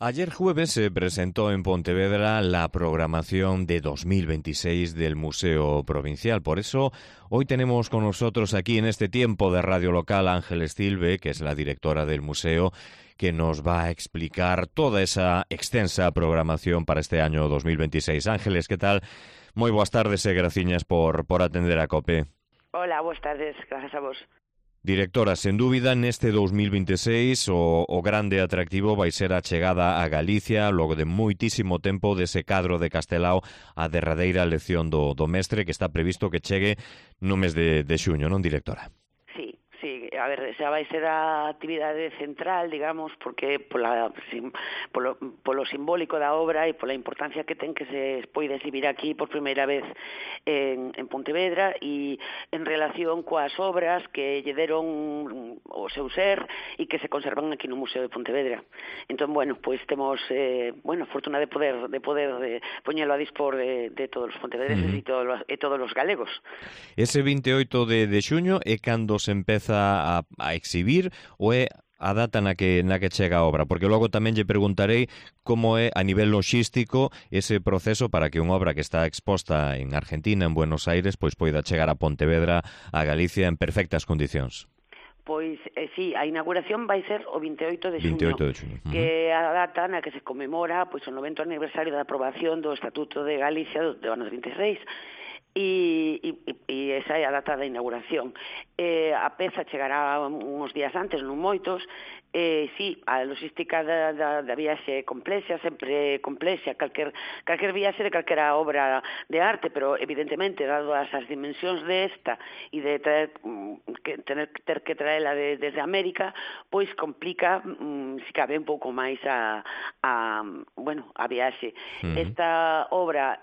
Ayer jueves se presentó en Pontevedra la programación de 2026 del Museo Provincial. Por eso, hoy tenemos con nosotros aquí en este tiempo de Radio Local a Ángeles Silve, que es la directora del museo, que nos va a explicar toda esa extensa programación para este año 2026. Ángeles, ¿qué tal? Moi boas tardes e graciñas por atender a COPE. Hola, boas tardes, gracias a vos. Directora, sen dúbida, neste 2026 o grande atractivo vai ser a chegada a Galicia logo de moitísimo tempo dese cadro de Castelao a derradeira lección do mestre que está previsto que chegue no mes de xuño, non, directora? Sí, a ver, xa vai ser a actividade central, digamos, porque polo simbólico da obra e pola importancia que ten que se poida exhibir aquí por primeira vez en Pontevedra e en relación coas obras que lle deron o seu ser e que se conservan aquí no Museo de Pontevedra. Entón, bueno, pois temos fortuna de poder poñelo a dispor de todos os pontevedreses e todos os galegos. Ese 28 de xuño é cando se empeza a exhibir ou é a data na que chega a obra? Porque logo tamén lle preguntarei como é a nivel logístico ese proceso para que unha obra que está exposta en Argentina, en Buenos Aires, pois poida chegar a Pontevedra, a Galicia, en perfectas condicións. Pois, sí, a inauguración vai ser o 28 de xuño, que é a data na que se conmemora pois o 90º aniversario da aprobación do Estatuto de Galicia do ano 36, e esa é a data da inauguración. A peza chegará uns días antes, non moitos. Sí, a logística da viaxe é complexa, sempre complexa, calquer viaxe de calquera obra de arte, pero evidentemente, dado as dimensións desta e de ter que traela desde América, pois complica, se cabe, un pouco máis a viaxe. Esta obra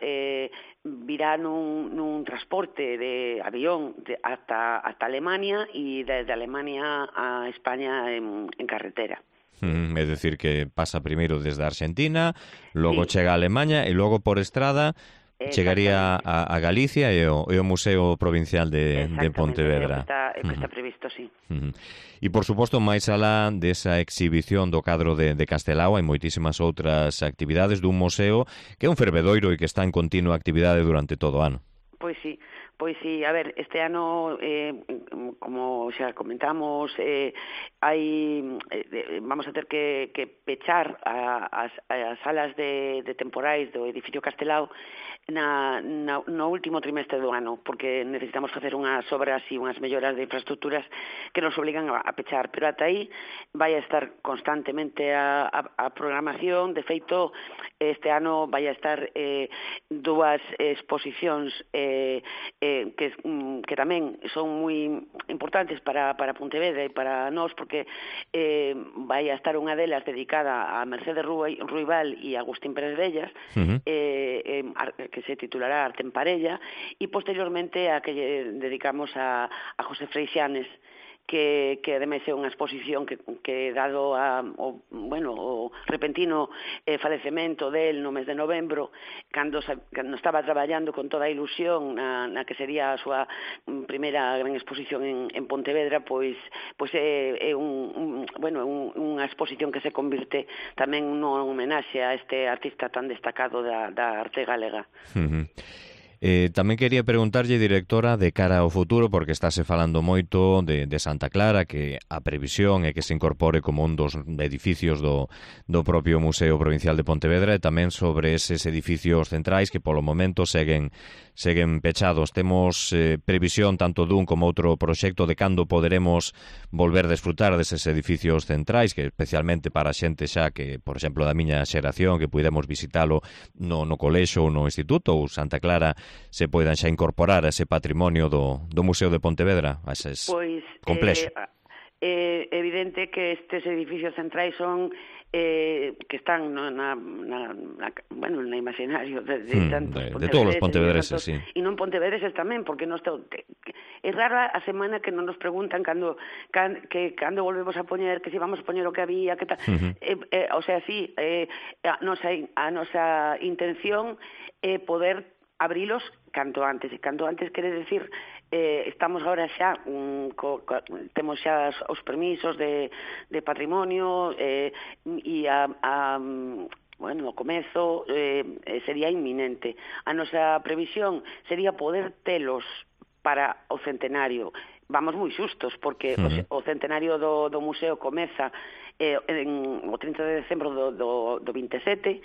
virá nun transporte de avión ata Alemania e desde Alemania a España en carretera. É dicir, que pasa primeiro desde Argentina, logo chega a Alemanha e logo por estrada chegaría a Galicia e o Museo Provincial de Pontevedra. Está previsto, sí. E, por suposto, máis alá desa exhibición do cadro de Castelao, hai moitísimas outras actividades dun museo que é un fervedoiro e que está en continua actividade durante todo o ano. Pois sí, a ver, este ano, como xa comentamos, vamos a ter que pechar as salas de temporais do edificio Castelao no último trimestre do ano, porque necesitamos facer unhas obras e unhas melloras de infraestructuras que nos obligan a pechar, pero ata aí vai a estar constantemente a programación. De feito, este ano vai a estar dúas exposicións que tamén son moi importantes para Pontevedra e para nós, porque vai a estar unha delas dedicada a Mercedes Ruibal e Agustín Pérez Vellas, que se titulará Arte en Parella, e posteriormente a que dedicamos a José Freixanes, que ademais é unha exposición que dado o repentino falecemento del no mes de novembro, cando estaba traballando con toda a ilusión na que sería a súa primeira gran exposición en Pontevedra, pois é unha exposición que se convirte tamén nun homenaxe a este artista tan destacado da arte galega. Tamén quería preguntarlle, directora, de cara ao futuro, porque estáse falando moito de Santa Clara, que a previsión é que se incorpore como un dos edificios do propio Museo Provincial de Pontevedra, e tamén sobre eses edificios centrais que polo momento seguen pechados. Temos previsión tanto dun como outro proxecto de cando poderemos volver a desfrutar deses edificios centrais, que especialmente para a xente xa que, por exemplo, da miña xeración, que puidemos visitalo no colexo ou no instituto, ou Santa Clara se poidan xa incorporar a ese patrimonio do Museo de Pontevedra, a eses complexo. É evidente que estes edificios centrais son que están no imaginario de todos os pontevedreses, sí. E non pontevedreses tamén, porque é rara a semana que non nos preguntan cando volvemos a poñer, que si vamos a poñer o que había, que tal. O sea, sí, a nosa intención é poder abrilos canto antes. E canto antes quere decir, estamos agora xa, temos xa os permisos de patrimonio, e bueno, o comezo sería inminente. A nosa previsión sería poder telos para o centenario. Vamos moi xustos, porque o centenario do museo comeza o 30 de decembro do 27,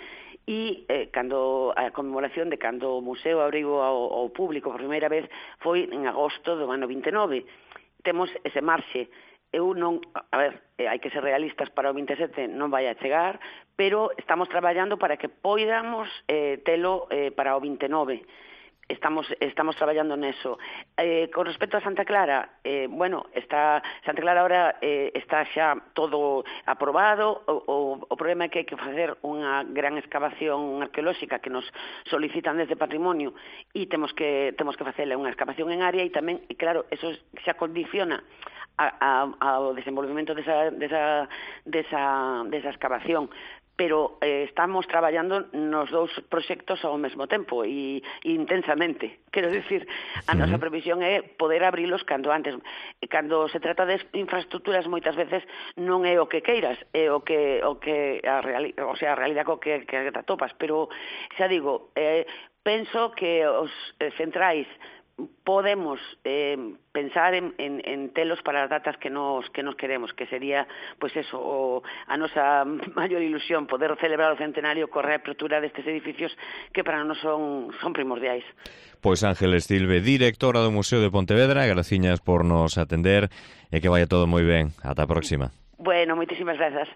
e cando a conmemoración de cando o museo abriu ao público por primeira vez foi en agosto do ano 29. Temos ese marxe. Eu non, hai que ser realistas, para o 27 non vai a chegar, pero estamos traballando para que poidamos telo para o 29. Estamos traballando neso. Con respecto a Santa Clara, Santa Clara ahora está xa todo aprobado. O problema é que hai que facer unha gran excavación arqueolóxica que nos solicitan desde Patrimonio, e temos que facerle unha excavación en área, e tamén, claro, eso xa condiciona ao desenvolvemento desa excavación. Pero estamos traballando nos dous proxectos ao mesmo tempo e intensamente. Quero dicir, a nosa previsión é poder abrilos cando antes. Cando se trata de infraestructuras, moitas veces non é o que queiras, é a realidade co que te atopas. Pero, xa digo, penso que os centrais podemos pensar en telos para as datas que nos queremos, que sería, pois eso, a nosa maior ilusión, poder celebrar o centenario coa reapertura destes edificios que para nós son primordiais. Pois Ángeles Silve, directora do Museo de Pontevedra, graciñas por nos atender e que vaya todo moi ben. Ata a próxima. Bueno, moitísimas grazas.